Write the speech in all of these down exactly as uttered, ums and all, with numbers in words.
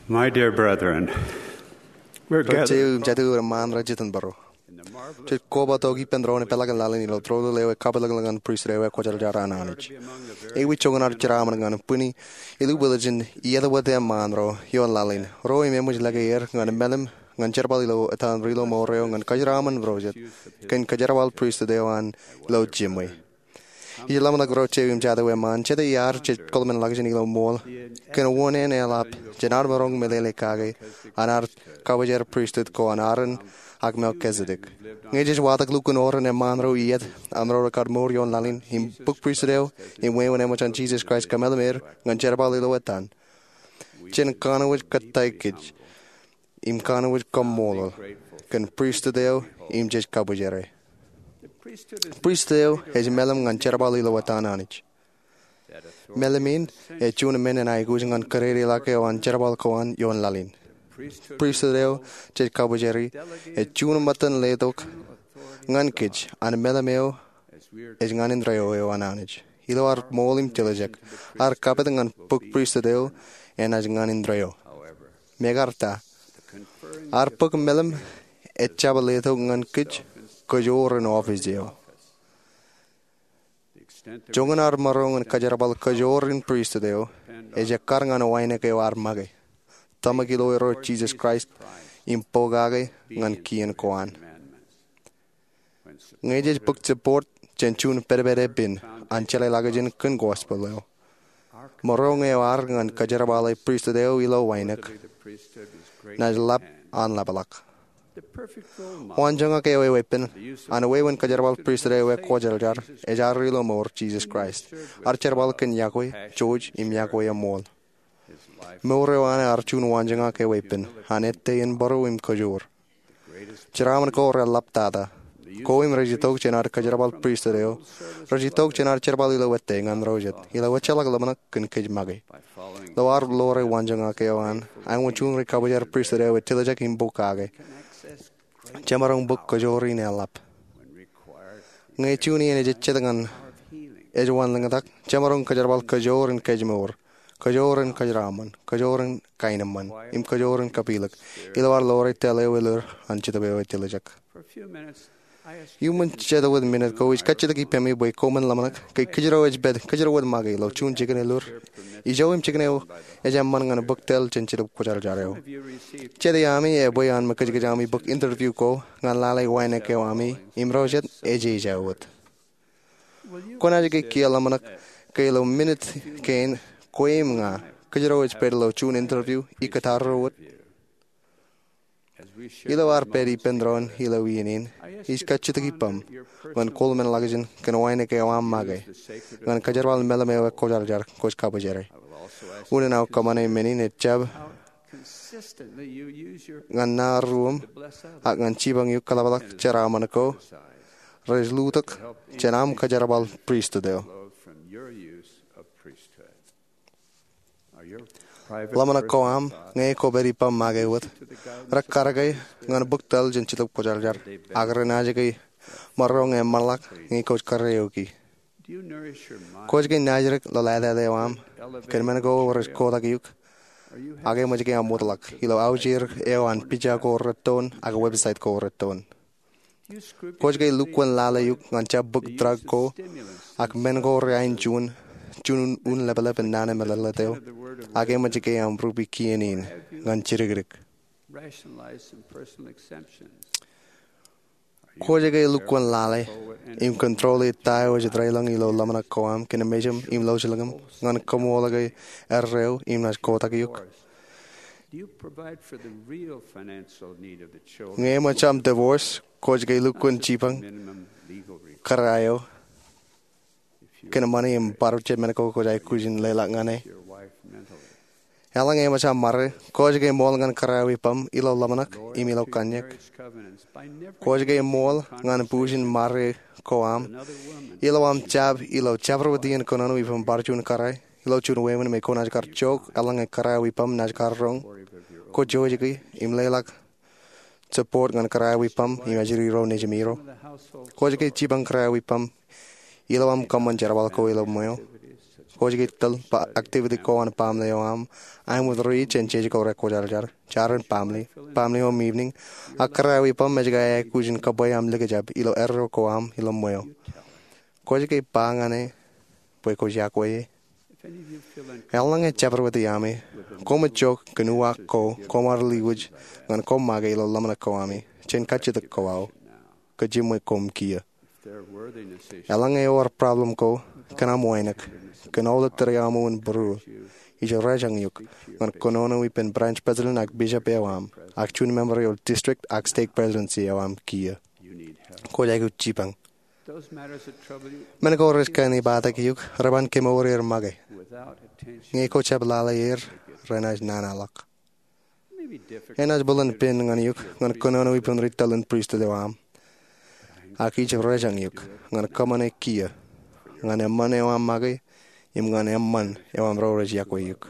My dear brethren, we're gathered eo im jatū eo ṃaan rej jitōnbōro. Jej koba tok ippān doon eo peḷaakin laḷ in ilo tōl eo ej kapeḷḷọk ñan pristut eo ekwōjarjar an Anij. Ewi joñan ad jeraṃṃan ñan bwini illu bōlen iien eo ṃaan ro ioon laḷ in, ro im eṃōj lōke er ñan meḷeḷe ñan jerbal ilo etan ri-lọmọọr eo ñan kōjeraṃṃan ro jet kōn kōjerbal pristut eo an ilo jiṃwe. Ij ḷōmṇak ro jeiū im jatū eo ṃaan, jete iaar jej kōḷmānḷọkjeṇ ilo ṃool, kōn wōn en eḷap jān ad maroñ meḷeḷe kake an ad kabwijer pristut ko an Aaron ak Melkizetek. Ñe jej watōk lukkuun oran eṃṃaan ro iiet an ro rekar mour ioon laḷ in im bōk pristut eo im wāween eṃōj an Jisōs Kraist kōmeḷeḷe er ñan jerbal ilo etan, jen kanooj kōttāik kōj im kanooj kaṃṃoolol kōn pristut eo im jej kabwijere. Pristut eo ej meḷeḷe ñan jerbal ilo etan Anij. Meḷeḷe in ej juon men in aikuj ñan kōdedelaḷọk eo an jerbal ko an ioon laḷ in. Pristut eo jej kabwijeri ej juon ṃōttan letok ñan kōj an meḷeḷe eo ej ñan indeeo eo an Anij. Ilo ad ṃool im tiljek, ad kapit ñan bōk pristut eo enaaj ñan indeeo. Mekarta, ad bōk meḷeḷe ejjab letok ñan kōj kōjoor in office eo. Joñan ad maroñ in kōjerbal kōjoor in pristut eo ej ekkar ñan wānōk eo ad make, tōmak ilo Irooj Jisōs Kraist im pokake ñan kien ko an. Ñe jej bōk support jān juon pedped eppān an jeḷāḷọkjeṇ kōn gospel eo, maroñ eo ad ñan kōjerbale pristut eo ilo wānōk naaj lap an ḷapḷọk. Waanjoñak eo eweeppān an wāween kōjerbal pristut eo ekwōjarjar ej ad ri-lọmọọr Jisōs Kraist, ad jerbal kōn iọkwe, jouj im iọkwe eṃṃool. Mour eo an ear juon waanjoñak eweeppān an ettā in būruō im kōjoor. Jeraṃṃan ko reḷap tata. Ko im rej itok jān ad kōjerbal pristut eo, rej itok jān ad jerbal ilo ettā ñan ro jet, ilo ejjeḷọk ḷōmṇak kōn kōj make. Ilo ad ḷoore waanjoñak eo an, āinwōt juon ri-kabwijer pristut eo ej tiljek im pokake, jemaroñ bōk kōjoor in eḷap. Ñe juon iien ej ejjet ñan ej wanlōñtak, jemaroñ kōjerbal kōjoor in kōjmour, kōjoor in kōjeraṃṃan, kōjoor in kaenōṃṃan, im kōjoor in kapilōk, ilo ad ḷoore tōl eo elōñ an Jetōb eo ej tiljek. Iuṃwin jet wōt minit ko, ij kajjitōk ippaṃ bwe koṃwin ḷōmṇak ke kōjro ej pād, kōjro wōt make ilo juon jikin elōñ. Ijo im jikin eo ej eṃṃan ñan bōk tōl jān Jetōb Kwōjarjar eo. Jet iaami ebwe an mekōjkōj ami bōk interview ko ñan lale wānōk eo ami im ro jet ej ej wōt. Kwōnaaj ke kiiō ḷōmṇak ke ilo minit kein kwe im ña, kōjro ej pād ilo juon interview ikōtaarro wōt? Ilo ad pād ippān doon ilo iien in, ij kajjitōk ippaṃ ñan koṃṃan ḷọkjeṇ kōn wānōk eo aṃ make ñan kōjerbal meḷeḷe eo ekwōjarjar kwōj kabwijere. Unin aō kōṃṃane men in ejjab ñan naan ruōṃ ak ñan jipañ eok kōḷapḷọk jeraṃṃan ko rej lutōk jān aṃ kōjerbal pristut eo. Ḷōmṇak ko aṃ ñe kwōpād ippaṃ make wōt rekar ke ñan bōk tōl jān Jetōb Kwōjarjar ak renaaj ke maroñ eṃṃanḷọk ñe kwōj kōrā eoki. Kwōj ke naajdik ḷōḷātāt eo aṃ kōn men ko rej kotak eok, ak eṃōj ke aṃ wōtlọk ilo aujir eo an pija ko rettoon ak website ko rettoon. Kwōj ke lukkuun lale eok ñan jab bōk drug ko ak men ko reain juon, juon un lepḷep in naan eṃṃanḷọk eo, ak eṃōj ke aṃ rupi kien in ñan jidikdik. Kwōj ke lukkuun lale im control e ta eo ej deḷọñ ilo ḷōmṇak ko aṃ kōn mejaṃ im lọjilñaṃ ñan kaṃool ke erreo im naaj kotak eok. Ñe eṃōj aṃ divorce, kwōj ke lukkuun jipañ kōrā eo kōn ṃani im bar jab men ko kwōj aikuj in leḷọk ñan e. Eḷaññe eṃōj aṃ ṃare, kwōj ke ṃool ñan kōrā eo ippaṃ ilo ḷōmṇak im ilo kanniōk. Kwōj ke ṃool ñan bujen ṃare ko aṃ ilo aṃ jab ilo jabdewōt iien kōnono ippaṃ bar juon kōrā ilo juon wāween me kwōnaaj kar jook eḷaññe kōrā eo ippaṃ naaj kar roñ. Kwōj jouj ke im leḷọk support ñan kōrā eo ippaṃ im ajri ro nejimiro. Kwōj ke jipañ kōrā eo ippaṃ ilo aṃ kōṃṃan jerbal ko ilo ṃweo. Kwōj ke tōl activity ko an baaṃle eo aṃ, aṃ wōt ri jān jeje ko rekwōjarjar, jaren baaṃle, baaṃle home evening, ak kōrā eo ippaṃ ej ke aikuj in kōbwe aṃ likjab ilo erro ko aṃ ilo ṃweo. Kwōj ke ba ñan e bwe kwōj yokwe e? Eḷaññe ejjab ri wōt iaami, koṃij jook kōn uwaak ko koṃ ar liwōj ñan koṃ make ilo ḷōmṇak ko ami jān kajjitōk ko aō, kōj jiṃwe koṃ kiiō. Eḷaññe ewōr problem ko kōn aṃ wānōk, kōn aolep tōre aṃ wōt būruō, ij rejañ eok ñan kōnono ippān branch president ak bishop eo aṃ, ak juon member eo district ak stake presidency eo aṃ kiiō. Kwōj aikuj jipañ. Men ko rej kōṇaan bōktok eok, reban kemour er make. Ñe kwōj jab lale er, renaaj nana ḷọk. Enaaj bōlen pen ñan eok ñan kōnono ippān ri tōl in pristut eo aṃ, ak ij rejañ eok ñan kōṃṃane kiiō ñan eṃṃan eo aṃ make im ñan eṃṃan eo aṃ ro rej yokwe eok.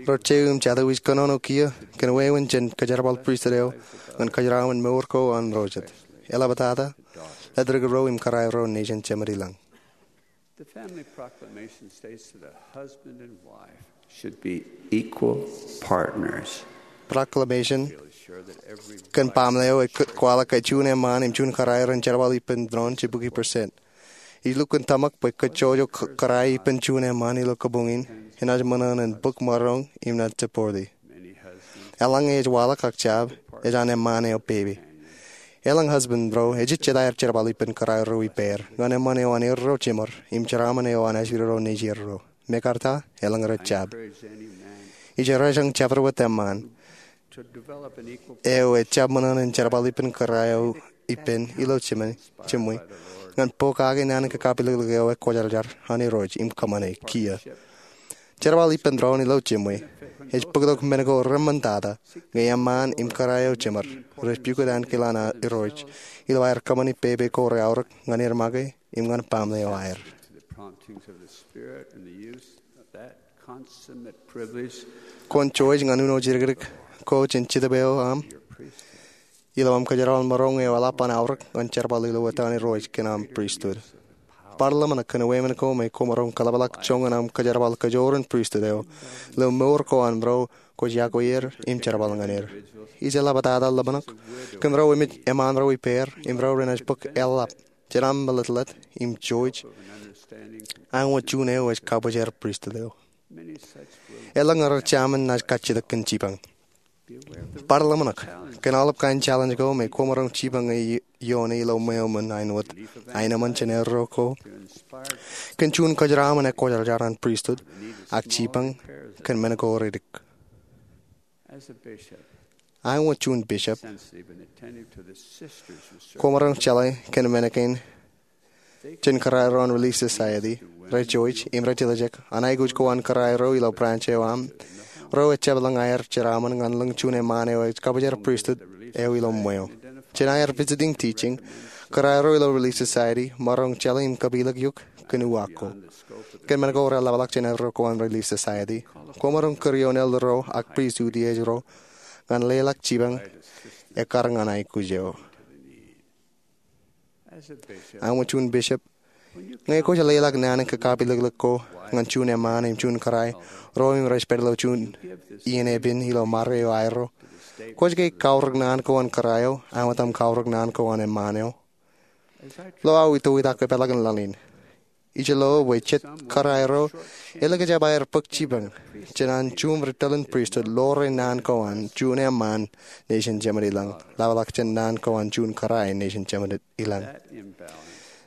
Ro jeiū im jatū, ij kōnono kiiō kōn wāween jān kōjerbal pristut eo ñan kōjeraṃṃan mour ko an ro jet, eḷaptata ledik ro im kōrā ro nejin Jemān i lañ. The family proclamation states that a husband and wife should be equal partners. Proclamation kōn baaṃle eo ej kwaḷọk ke juon eṃṃaan im juon kōrā ren jerbal ippān doon jibukwi percent. Ij lukkuun tōmak bwe kōjjojo kōrā ippān juon eṃṃaan ilo kabuñ in enaaj ṃōṇōṇō in bōk maroñ im naaj support e. Eḷaññe ej waḷọk ak jab, ej an eṃṃaan eo pepe. Elōñ husband ro ejejjet aer jerbal ippān kōrā ro ippāer ñan eṃṃan eo an erro jeṃor im jeraaṃṃan eo an ajri ro nejierro. Mekarta, elōñ rej jab. Ij rejañ jabdewōt eṃṃaan eo ejjab ṃōṇōṇō in jerbal ippān kōrā eo ippān ilo jiṃwe ñan pokake naan in kakapilōklōk eo ekwōjarjar an Irooj im kōṃṃane kiiō. Jerbal ippān doon ilo jiṃwe ej bōktok men ko reṃṃantata ñe eṃṃaan im kōrā eo jeṃor rej pukot ankilaan Irooj ilo aer kōṃṃani pepe ko reaorōk ñan er make im ñan baaṃle eo aer. Kwōn jouj ñan uno jidikdik ko jān Jetōb eo aṃ ilo aṃ kōjerbal maroñ eo eḷap an aorōk ñan jerbal ilo etan Irooj kōn aṃ pristut. Bar ḷōmṇak kōn wāween ko me kwōmaroñ kaḷapḷọk joñan aṃ kōjerbal kajoor in pristut eo ilo mour ko an ro kwōj yokwe er im jerbal ñan er. Ij eḷaptata ḷōmṇak kōn ro emān ro ippāer im ro renaaj bōk eḷap jān aṃ meḷeḷe im jouj aṃ wōt juon eo ej kabōjrak pristut eo. Elōñ rej jaṃin naaj kajjitōk kōn jipañ. Bar ḷōmṇak kōn aolep kain challenge ko me kwōmaroñ jipañ ñe ioone ilo ṃweo ṃōn aenwōt aenōṃṃan jān erro ko kōn juon kōjeraṃṃan ekwōjarjar an pristut ak jipañ kōn men ko reddik. Aṃ wōt juon bishop, kwōmaroñ jeḷā kōn men kein jān kōrā ro an Relief Society rej jouj im rej tiljek an aikuj ko an kōrā ro ilo branch eo aṃ. Ro ejjab lōñ aer jeraaṃṃan ñan lōñ juon eṃṃaan eo ej kabōjrak pristut eo ilo ṃweo. Jān aer visiting teaching, kōrā ro ilo Relief Society maroñ jeḷā im kapilōk eok kōn uwaak ko. Kōn men ko reḷapḷọk jān erro ko an Relief Society, kwōmaroñ kūr ioon elder ro ak pristut iej ro ñan leḷọk jipañ ekkar ñan aikuj eo. Aṃ wōt juon bishop, ñe kwōj leḷọk naan in kakapilōklōk ko ñan juon eṃṃaan im juon kōrā ro im rej pād ilo juon iien epen ilo mare eo aerro, kwōj ke kaorōk naan ko an kōrā eo aṃ wōt aṃ kaorōk naan ko an eṃṃaan eo? Ilo aō itoitak epeḷḷọk in laḷ in, ij lo bwe jet kōrā ro elikjab aer bōk jipañ jān an juṃ ri tōl in pristut ḷoore naan ko an juon eṃṃaan nejin Jemān i lañ ḷapḷọk jān naan ko an juon kōrā nejin Jemān i lañ.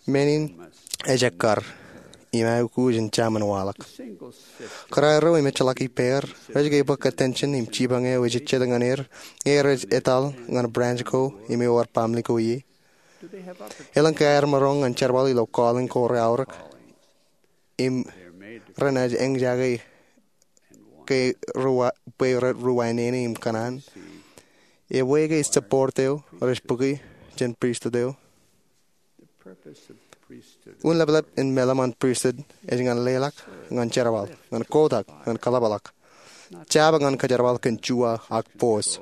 Men in ej ekkar im aikuj in jaṃin waḷọk. Kōrā ro im ejjeḷọk ippāer rej ke bōk attention im jipañ eo ejejjet ñan er ñe rej etal ñan branch ko im ewōr baaṃle ko ie? Elōñ ke aer maroñ ñan jerbal ilo calling ko reaorōk im renaaj eñjake ke bwe rej ri wāween im kōṇaan? Ewe ke support eo rej bōke jān pristut eo? Unleplep in meḷeḷe an pristut ej ñan leḷọk, ñan jerbal, ñan kotak, ñan kaḷapḷọk, jab ñan kōjerbal kōn juwa ak force.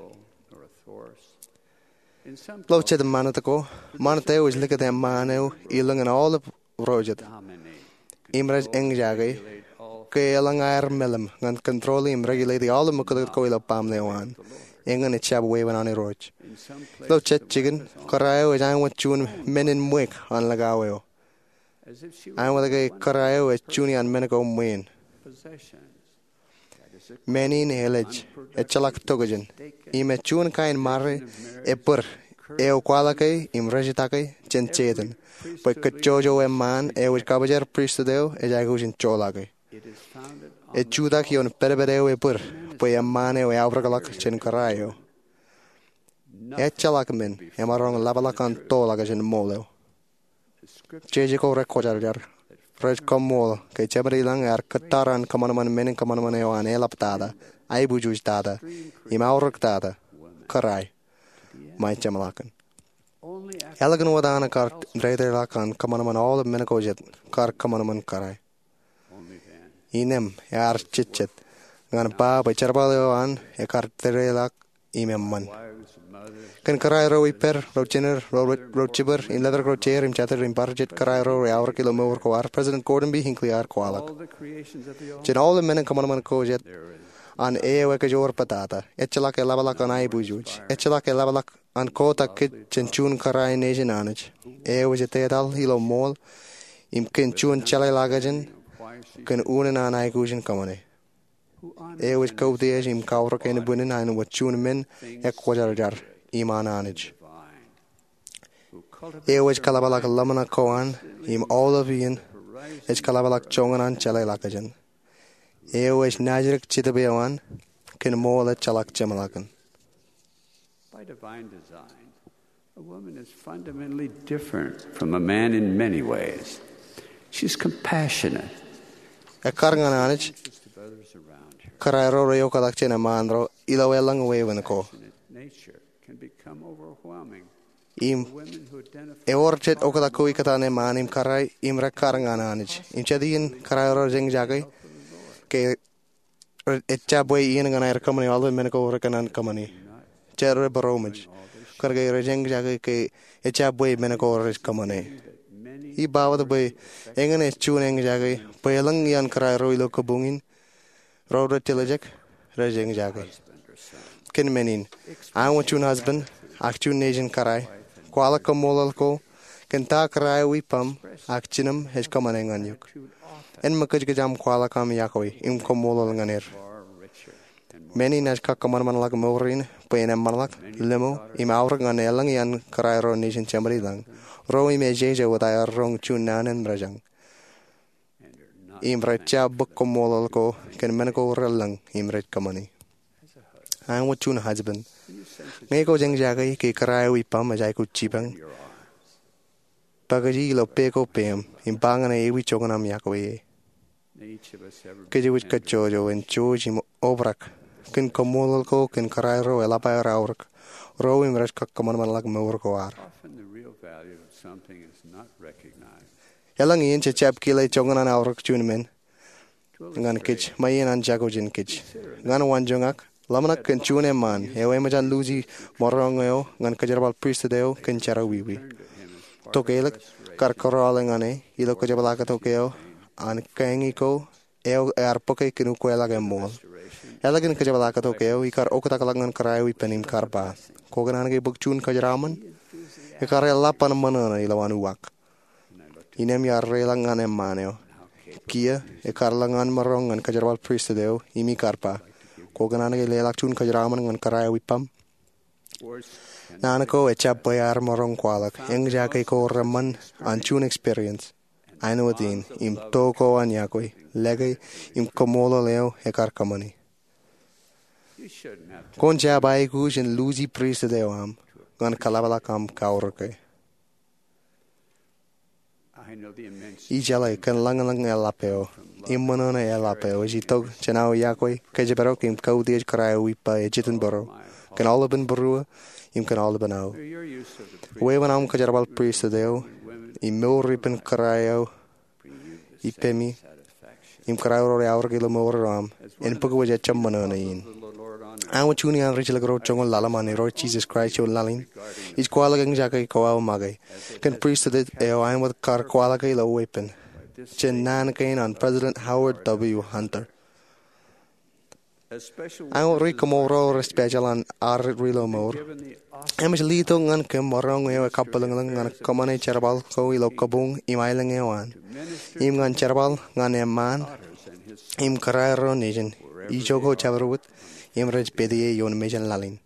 Ilo jet ṃanit ko, ṃanit eo ej likūt eṃṃaan eo ilōñin aolep ro jet. im rej eñjake ke eḷaññe aer meḷeḷe ñan control im regulate aolep ṃōkōtkot ko ilo baaṃle eo an, eñin ejjab wāween an Irooj. Ilo jet jikin, kōrā eo ej āinwōt juon men in ṃweiuk an likao eo, āinwōt ke kōrā eo ej juon iaan men ko ṃweeṇ. Men in elej, ejjeḷọk tokjān, im ej juon kain ṃare ebōd eo kwaḷọke im rejjitake jān Setan bwe kōjjojo eṃṃaan eo ej kabujar pristut eo ej aikuj in joḷọke. Ej jutak ioon pedped eo ebōd bwe eṃṃaan eo eaorōkḷọk jān kōrā eo. Ejjeḷọk men emaroñ leḷọk an toḷọk jān ṃool eo. Jeje ko rekwōjarjar rej kaṃṃoolol ke Jemedeilañ ear kōttar an kōṃanṃan men in kōṃanṃan eo an eḷaptata, aibujuj tata, im aorōk tata, kōrā eo, ṃae jeṃḷọkin. Ālikin wōt an kar dedeḷọk an kōṃanṃan aolep men ko jet, kar kōṃanṃan kōrā eo. Innem ear jejjet ñan ba bwe jerbal eo an ekar dedeḷọk im eṃṃan. Kōn kōrā ro ippād, ro jined, ro jibwid, im letok ro jeid im jatid im bar jet kōrā ro reaorōk ilo mour ko ad, President Gordon B. Hinckley ear kwaḷọk, jān aolep men in kōṃanṃan ko jet an eo ekejoor bōtata, ejjeḷọk eḷapḷọk an aibujuj, ejjeḷọk eḷapḷọk an kotak kōj jān juon kōrā nejin Anij eo ej etetal ilo ṃool im kōn juon jeḷāḷọkjeṇ kōn unin an aikuj in kōṃṃane, eo ej kautiej im kaorōk ānbwinnin āinwōt juon men ekwōjarjar im an Anij, eo ej kaḷapḷọk ḷōmṇak ko an im aolep iien ej kaḷapḷọk joñan an jeḷāḷọkjeṇ, eo ej naajdik Jetōb eo an kōn ṃool ejjeḷọk jeṃḷọkin. By divine design, a woman is fundamentally different from a man in many ways. She's compassionate. Ekkar ñan Anij, kōrā ro reoktak jān eṃṃaan ro ilo elōñ wāween ko. Nature can become overwhelming. Im ewōr jet oktak ko ikkōtaan eṃṃaan im kōrā im rekkar ñan Anij. Im jet iien kōrā ro rej eñjake ke ejjab bwe iien ñan aer kōṃṃane aolep men ko rekōṇaan kōṃṃane. Jet rej būroṃōj kōnke rej eñjake ke ejjab bwe men ko rej kōṃṃane. Ij ba wōt bwe eñin ej juon eñjake bwe elōñ iaan kōrā ro ilo kabuñ in ro rej tiljek, rej eñjake. Kōn men in, āinwōt juon husband ak juon nejin kōrā, kwaḷọk kaṃṃoolol ko kōn ta kōrā eo ippaṃ ak jinōm ej kōṃṃane ñan eok. En ṃōkajkōj aṃ kwaḷọk aṃ iakwe im kaṃṃoolol ñan er. Men in ej kab kōṃanṃanḷọk mour in bwe en eṃṃanḷọk, limo, im aorōk ñan elōñ iaan kōrā ro nejin Jemedeilañ, ro im ejeje wōt aer roñ juon naan in mejān. Im rej jab bōk kaṃṃoolol ko kōn men ko relōñ im rej kōṃṃane. Āinwōt juon husband, ñe kwōj eñjake ke kōrā eo ippaṃ ej aikuj jipañ, pakiji ilo pā ko peiṃ im ba ñan e ewi joñan aṃ iakwe e. Kōjwōj kajjojo en jouj im obrak kōn kaṃṃoolol ko kōn kōrā ro eḷap aer aorōk, ro im rej kab kōṃanṃanḷọk mour ko ad. Elōñ iien jejjab kile joñan an aorōk juon men ñan kōj ṃae iien an jako jān kōj. Ñan waanjoñak, ḷōmṇak kōn juon eṃṃaan eo eṃōj an luuji maroñ eo ñan kōjerbal pristut eo kōn jerọwiwi. Tokālik, kar kōrọọl ñan e ilo kōjepḷaaktok eo an kañi ko eo ear bōke kōn ukweḷọk eṃṃool. Ālikin kōjepḷaaktok eo, ikar oktakḷọk ñan kōrā eo ippān im kar ba, kwōkōṇaan ke bōk juon kōjeraṃōn? Ekar eḷap an ṃōṇōṇō ilowaan uwaak. Innem iar reiḷọk ñan eṃṃaan eo, kiiō ekar lōñ an maroñ ñan kōjerbal pristut eo im ikar ba, kwōkōṇaan ke leḷọk juon kōjeraṃōn ñan kōrā eo ippaṃ? Naan ko ejjab bwe aer maroñ kwaḷọk, eñjake ko reṃṃan an juon experience āinwōt in im to ko an iakwe, lōke, im kaṃṃoolol eo ekar kōṃṃane. Kwōn jab aikuj in luuji pristut eo aṃ ñan kaḷapḷọk aṃ kaorōke. Ijeḷā kōn ḷōñḷōñ eḷap eo im ṃōṇōṇō eḷap eo ej itok jān aō iakwe kōjparok im kautiej kōrā eo ippa ej itok būruō kōn aolepān būruō im kōn aolepān aō. Wāween aṃ kōjerbal pristut eo im mour ippān kōrā eo ippemi im kōrā ro reaorōk ilo mour eo aṃ en bōk wōj ejjab ṃōṇōṇō in. Āinwōt juon iaan rijjelōk ro joñoul ḷalem an Irooj Jisōs Kraist ioon laḷ in, ij kwaḷọk eñjake ko aō make kōn pristut eo āinwōt kar kwaḷọke ilo weeppān. jān naan kein an President Howard W. Hunter. Ak ri koṃro rej special an ad ri ilo mour, eṃōj letok ñan kōm maroñ eo ekabwilōñlōñ ñan kōṃṃane jerbal ko ilo kabuñ im aelōñ eo an, im ñan jerbal ñan eṃṃaan im kōrā ro nejin, ijoko jabdewōt, im rej pād ie ioon mejān laḷ in.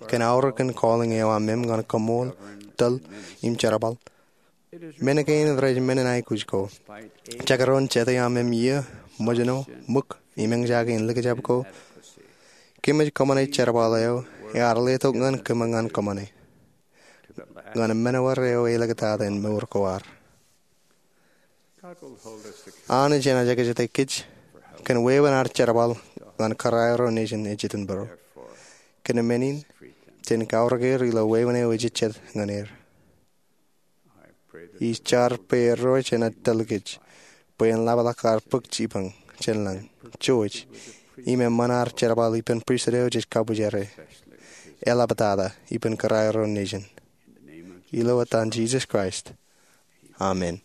Kōn aorōk in calling eo aṃ ñan koṃṃool, tōl, im jerbal, men kein rej men in aikuj ko. Jekdọọn jete aṃ iiō, ṃōjṇọ, ṃōk, im eñjake in likjab ko, kōmij kōṃṃane jerbal eo ear letok ñan kōm ñan kōṃṃane ñan men eo eḷḷọk tata in mour ko ad. Anij enaaj ekjete kōj kōn wāween ad jerbal ñan kōrā ro nejin ej itok būruō. Kōn men in, jen kaorōk er ilo wāween eo ejejjet ñan er. Ij jar bwe Irooj enaaj tōl kōj bwe en ḷapḷọk ad bōk jipañ jān lañ, jouj, im eṃṃan ad jerbal ippān pristut eo jej kabwijere, eḷaptata ippān kōrā ro nejin. Ilo etan Jisōs Kraist, amen.